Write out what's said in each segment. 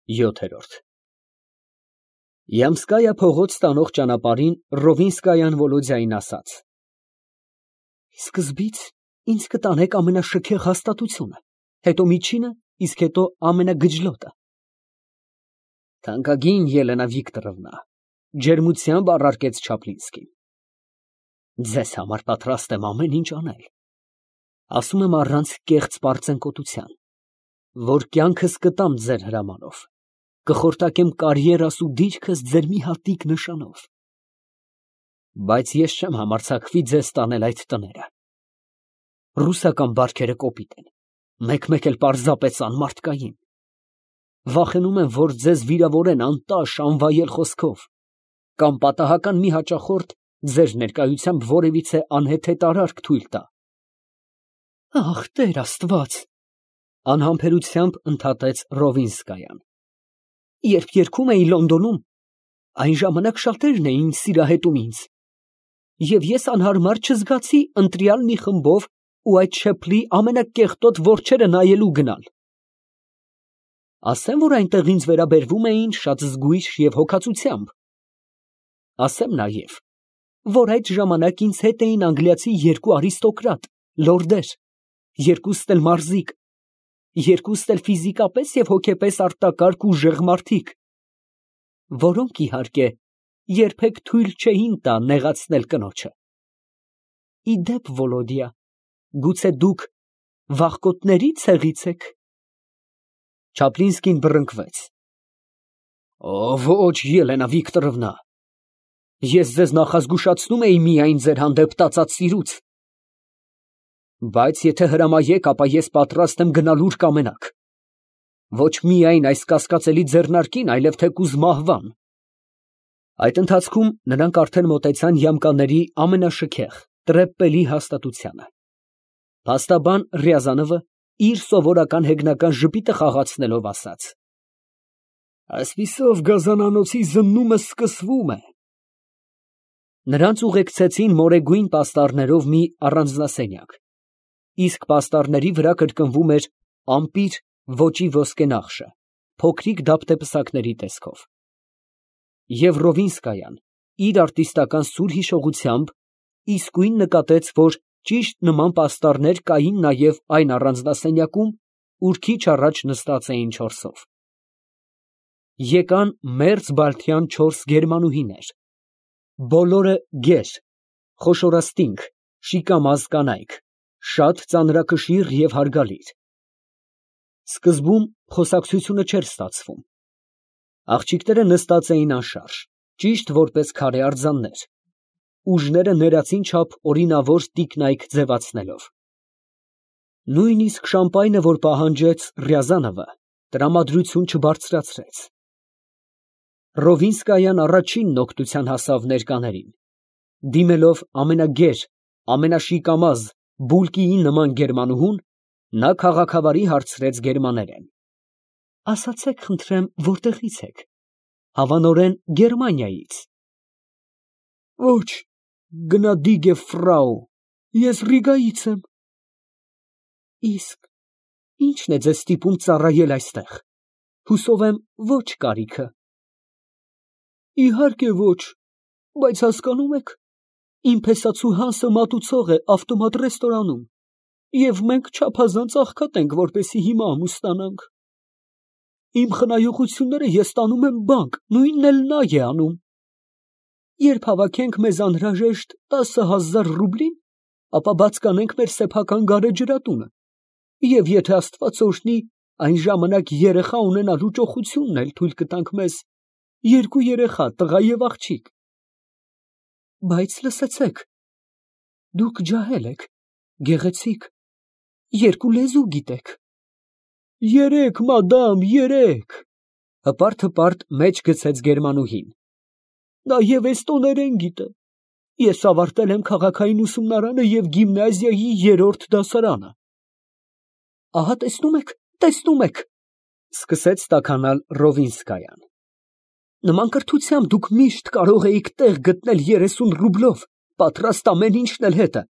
7։ Յամսկայա փողոց տանող ճանապարհին Ռովինսկայան Վոլոդյային ասաց. Սկզբից ինձ կտանեք ամենաշքեղ հաստատությունը, հետո միջինը, իսկ հետո ամենագջլոտը։ Թանկագին Ելենա Վիկտորովնա, ջերմությամբ առարկեց Չապլինսկին։ Ձեզ համար պատրաստ եմ ամեն ինչ անել։ Ասում եմ առանց կեղծ պարծենկոտության, որ կյանքս կտամ ձեր հրամանով, կխորտակեմ կարիերաս ու դիրքս ձեր մի հատիկ նշանով։ Բայց ես չեմ համարձակվի ձեզ տանել այդ տները։ Ռուսական բարքերը կոպիտ են, մեկ-մեկ էլ պարզապես անմարդկային։ Վախենում եմ, որ ձեզ վիրավորեն անտաշ, անվայել խոսքով, կամ պատահական մի հաճախորդ ձեր ներկայությամբ որևիցե անհեթեթ արարք թույլ տա։ Ախ, Տեր Աստված, անհամբերությամբ ընդհատեց Ռովինսկայան։ Երբ երգում էի Լոնդոնում, այն ժամանակ շատերն էին սիրահետում ինձ, և ես անհարմար չզգացի ընտրյալ մի խմբով ու այդ շեփլի ամենակեղտոտ որջերը նայելու գնալ։ Ասեմ, որ այնտեղ ինձ վերաբերվում էին շատ զգույշ և հոգածությամբ։ Ասեմ նաև, որ այդ ժամանակ ինձ հետ էին անգլիացի երկու արիստոկրատ, լորդեր, երկուստ էլ մարզիկ, երկուստ էլ ֆիզիկապես և հոգեպես արտակարգ ուժեղ մարդիկ, որոնք, իհարկե, երբեք թույլ չէին տա նեղացնել կնոջը։ Ի դեպ, Վոլոդյա, գուցե դուք վախկոտների ցեղից եք։ Չապլինսկին բռնկվեց։ Ոչ, Ելենա Վիկտորովնա, ես ձեզ նախազգուշացնում էի միայն ձեր հանդեպ տածած սիրուց։ Բայց եթե հրամայեք, ապա ես պատրաստ եմ գնալ ուր կամենաք։ Ոչ միայն այս կասկածելի ձեռնարկին, այլև թեկուզ մահվան։ Այդ ընթացքում նրանք արդեն մոտեցան յամկաների ամենաշքեղ, տրեպպելի հաստատությանը։ Փաստաբան Ռյազանովը իր սովորական հեգնական ժպիտը խաղացնելով ասաց. Այսպիսով գազանանոցի զննումը սկսվում է։ Նրանց ուղեկցեցին մորեգույն պաստառներով մի առանձնասենյակ, իսկ պաստառների վրա կրկնվում էր ամպիր ոճի ոսկենախշը, փոքրիկ դափտեպսակների տեսքով։ Եվ Ռովինսկայան իր արտիստական սուր հիշողությամբ իսկույն նկատեց, որ ճիշտ նման պաստառներ կային նաև այն առանձնասենյակում, ուր քիչ առաջ նստած էին չորսով։ Եկան մերձ բալթյան 4 գերմանուհիներ, բոլորը գեր, խոշորաստինք, շիկամազ կանայք, շատ ծանրակշիռ և հարգալից։ Սկզբում խոսակցությունը չէր ստացվում։ Աղջիկները նստած էին անշարժ, ճիշտ որպես քարե արձաններ, ուժները ներածին չափ օրինավոր տիկնայք ձևացնելով։ Նույնիսկ շամպայնը, որ պահանջեց Ռյազանովը, տրամադրություն չբարձրացրեց։ Ռովինսկայան առաջինն օգնության հասավ ներկաներին, դիմելով ամենագեր, ամենաշիկամազ, բուլկիի նման գերմանուհուն, նա քաղաքավարի հարցրեց գերմաներեն. Ասացեք, խնդրեմ, որտեղից եք։ Հավանորեն Գերմանիայից։ Ոչ, գնադիգե ֆրау, ես Ռիգայից եմ։ Իսկ ի՞նչն է ձեզ ստիպում ծառայել այստեղ։ Հուսով եմ, ոչ կարիքը։ Իհարկե ոչ, բայց հասկանում եք, իմ փեսացու Հանսը մատուցող է ավտոմատ ռեստորանում, և մենք չափազանց աղքատ ենք, որպեսզի հիմա ամուսնանանք։ Իմ խնայողությունները ես տանում եմ բանկ, նույնն էլ նա է անում։ Երբ հավաքենք մեզ անհրաժեշտ 10,000 ռուբլին, ապա բաց կանենք մեր սեփական գարեջրատունը, և եթե Աստված օրհնի, այն ժամանակ երեխա ունենալու ճոխությունն էլ թույլ կտանք մեզ, 2 երեխա, տղա և աղջիկ։ Բայց լսեցեք, դուք ջահել եք, գեղեցիկ, 2 լեզու գիտեք։ 3, մադամ, 3, հպարտ մեջ գցեց գերմանուհին։ Նաև էստոներեն գիտե։ Ես ավարտել եմ քաղաքային ուսումնարանը և գիմնազիայի 3-րդ դասարանը։ Ահա տեսնում եք, սկսեց տաքանալ Ռովինսկայան։ Նման կրթությամբ դուք միշտ կարող էիք տեղ գտնել 30 ռուբլով, պատրաստ ամեն ինչն էլ հետը։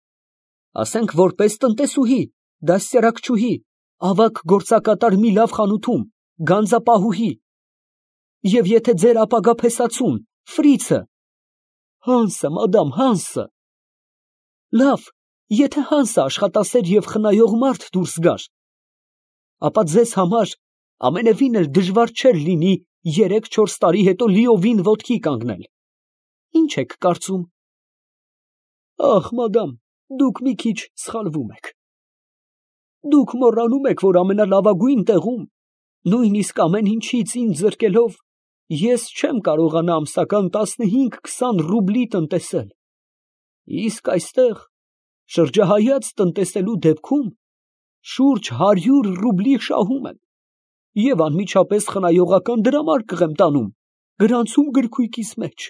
Ասենք որպես տնտեսուհի, դաստիարակչուհի, ավագ գործակատար մի լավ խանութում, գանձապահուհի, Եվ եթե ձեր ապագա փեսացուն, Ֆրիցը, Հանսը, մադամ, Հանսը, լավ, եթե Հանսը աշխատասեր և խնայող մարդ դուրս գար, ապա ձեզ համար ամենևին էլ դժվար չէր լինի 3-4 տարի հետո լիովին ոտքի կանգնել։ Ինչ եք կարծում։ Ախ, մադամ, դուք մի քիչ սխալվում եք։ Դուք մոռանում եք, որ ամենալավագույն տեղում, նույնիսկ ամեն ինչից ինձ զրկելով, ես չեմ կարողանա ամսական 15-20 ռուբլի տնտեսել։ Իսկ այստեղ, շրջահայաց տնտեսելու դեպքում, շուրջ 100 ռուբլի շահում եմ և անմիջապես խնայողական դրամարկղ եմ տանում գրանցում գրքույկիս մեջ։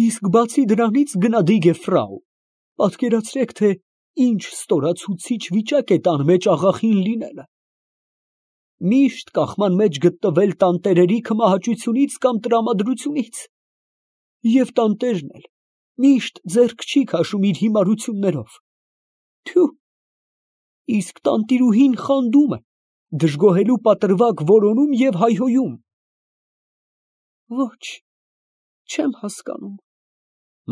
Իսկ բացի դրանից, գնադիգ է ֆրау, պատկերացրեք, թե ինչ ստորացուցիչ վիճակ է տան մեջ աղախին լինելը։ Միշտ կախման մեջ գտնվել տանտերերի քմահաճությունից կամ տրամադրությունից, և տանտերն էլ միշտ ձեռք չի քաշում իր հիմարություններով։ Թյու, իսկ տանտիրուհին խանդում է, դժգոհելու պատրվակ որոնում և հայհոյում։ Ոչ, չեմ հասկանում,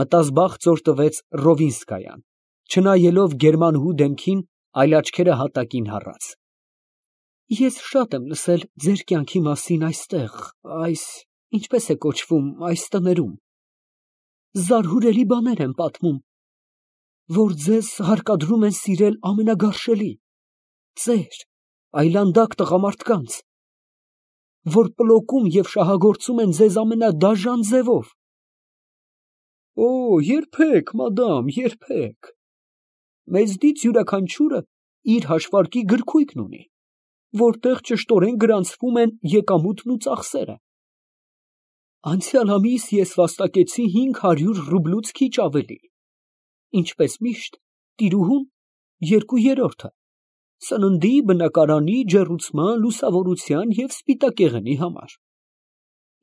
մտազբաղ ծոր տվեց Ռովինսկայան, չնայելով գերմանուհու դեմքին, այլ աչքերը հատակին հառած։ Ես շատ եմ լսել ձեր կյանքի մասին այստեղ, ինչպես է կոչվում, այս տներում։ Զարհուրելի բաներ են պատմում, որ ձեզ հարկադրում են սիրել ամենագարշելի, ծեր, այլանդակ տղամարդկանց, որ պլոկում և շահագործում են ձեզ ամենադաժան ձևով։ Օ, երբեք, մադամ, երբեք։ Մեզնից յուրաքանչյուրը իր հաշվարկի գրքույկն ունի, որտեղ ճշտորեն գրանցվում են եկամուտն ու ծախսերը։ Անցյալ ամիս ես վաստակեցի 500 ռուբլուց քիչ ավելի, ինչպես միշտ, տիրուհուն 2/3, սննդի, բնակարանի, ջեռուցման, լուսավորության և սպիտակեղենի համար։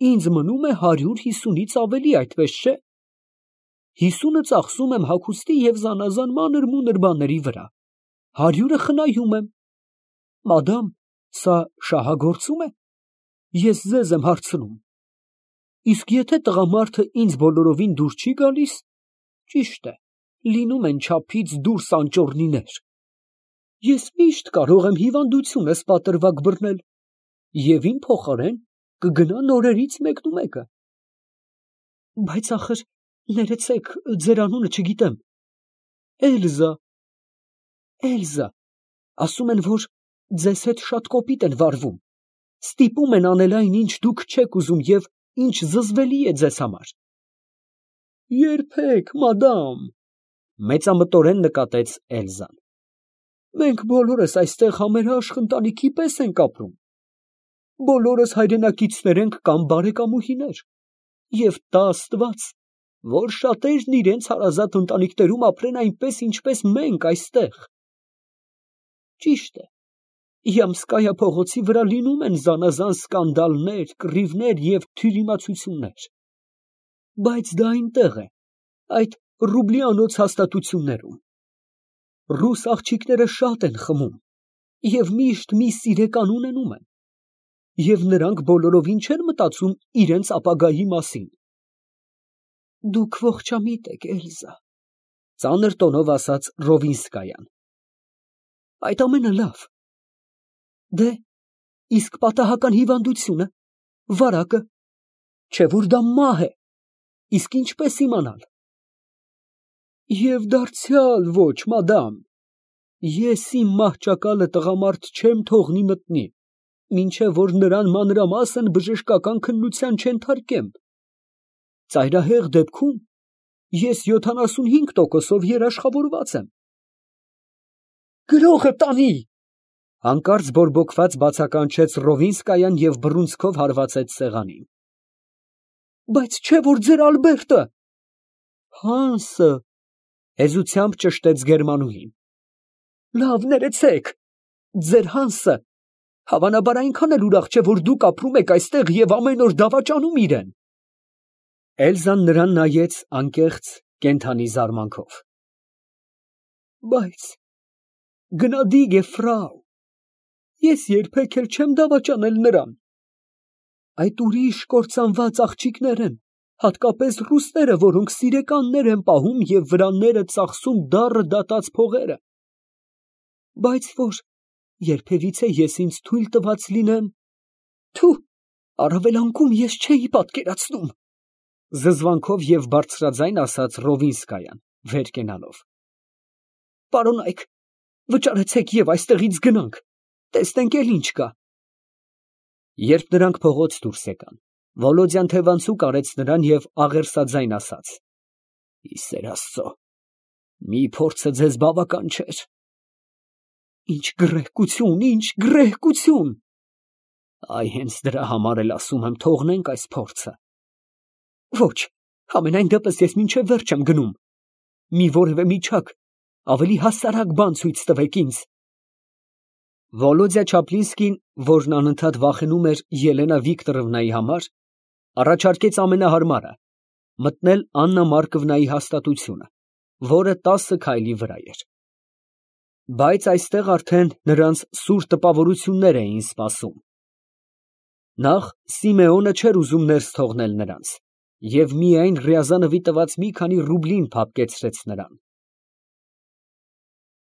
Ինձ մնում է 150-ից ավելի, այդպես չէ։ 50-ը ծախսում եմ հագուստի և զանազան մանր-մունր բաների վրա, 100-ը խնայում եմ։ Մադամ, սա շահագործում է։ Ես ձեզ եմ հարցնում։ Իսկ եթե տղամարդը ինձ բոլորովին դուր չի գալիս, ճիշտ է, լինում են չափից դուրս անճոռնիներ։ Ես միշտ կարող եմ հիվանդությունս պատրվակ բռնել և իմ փոխարեն կգնա նորերից մեկնումեկը։ Բայց ախր, ներեցեք, ձեր անունը չգիտեմ։ Էլզա։ Էլզա, ասում են, որ ձեզ հետ շատ կոպիտ են վարվում, ստիպում են անել այն, ինչ դուք չեք ուզում և ինչ զզվելի է ձեզ համար։ Երբեք, մադամ, մեծամտորեն նկատեց Էլզան։ Մենք բոլորս այստեղ համերաշխ ընտանիքի պես ենք ապրում։ Բոլորս հայրենակիցներ ենք կամ բարեկամուհիներ, և տա Աստված, որ շատերն իրենց հարազատ ընտանիքներում ապրեն այնպես, ինչպես մենք այստեղ։ Ճիշտ է, Յամսկայա փողոցի վրա լինում են զանազան սկանդալներ, կռիվներ և թյուրիմացություններ, բայց դա այնտեղ է, այդ ռուբլիանոց հաստատություններում։ Ռուս աղջիկները շատ են խմում և միշտ մի սիրեկան ունենում են, և նրանք բոլորովին չեն մտածում իրենց ապագայի մասին։ Դուք ողջամիտ եք, Էլզա, ծանր տոնով ասաց Ռովինսկայան։ Այդ ամենը լավ։ Դե, իսկ պատահական հիվանդությունը, վարակը, չէ՞ որ դա մահ է, իսկ ինչպես իմանալ։ Եվ դարձյալ ոչ, մադամ, ես իմ մահճակալը տղամարդ չեմ թողնի մտնի, մինչև որ նրան մանրամասն բժշկական քննության չենթարկեմ։ Ծայրահեղ դեպքում ես 75%-ով երաշխավորված եմ։ Գրողը տանի։ Հանկարծ բորբոքված բացականչեց Ռովինսկայան և բռունցքով հարվածեց սեղանին։ Բայց չէ՞ որ ձեր Ալբերտը։ Հանսը, հեզությամբ ճշտեց գերմանուհին։ Լավ, ներեցեք, ձեր Հանսը, հավանաբար այնքան էլ ուրախ չէ, որ դուք ապրում եք այստեղ և ամեն օր դավաճանում իրեն։ Էլզան նրան նայեց անկեղծ, կենդանի զարմանքով։ Բայց գնադիգ է ֆրау, ես երբեք էլ չեմ դավաճանել նրան։ Այդ ուրիշ կործանված աղջիկներ են, հատկապես ռուսները, որոնք սիրեկաններ են պահում և վրանները ծախսում դառը դատած փողերը։ Բայց որ երբևիցե ես ինձ թույլ տված լինեմ… Թու, առավել անգամ ես չէի պատկերացնում, զզվանքով և բարձրաձայն ասաց Ռովինսկայան, վեր կենալով։ Պարոնայք, վճարեցեք և այստեղից գնանք, տեսնենք էլ ինչ կա։ Երբ նրանք փողոց դուրս եկան, Վոլոդյան թևանցուկ արեց նրան և աղերսաձայն ասաց. «Ի սեր Աստծո, մի փորձը ձեզ բավական չէր»։ Ինչ գռեհկություն, ինչ գռեհկություն։ Այ հենց դրա համար էլ ասում եմ, թողնենք այս փորձը։ Ոչ, համենայն դեպս ես մինչև վերջ եմ գնում։ Մի որևէ միջակ, ավելի հասարակ բան ցույց տվեք ինձ։ Վոլոդյա Չապլինսկին, որն անընդհատ վախենում էր Ելենա Վիկտորովնայի համար, առաջարկեց ամենահարմարը՝ մտնել Աննա Մարկովնայի հաստատությունը, որը 10 քայլի վրա էր։ Բայց այստեղ արդեն նրանց սուր տպավորություններ էին սպասում։ Նախ Սիմեոնը չէր ուզում ներս թողնել նրանց և միայն Ռյազանովի տված մի քանի ռուբլին փափկեցրեց նրան։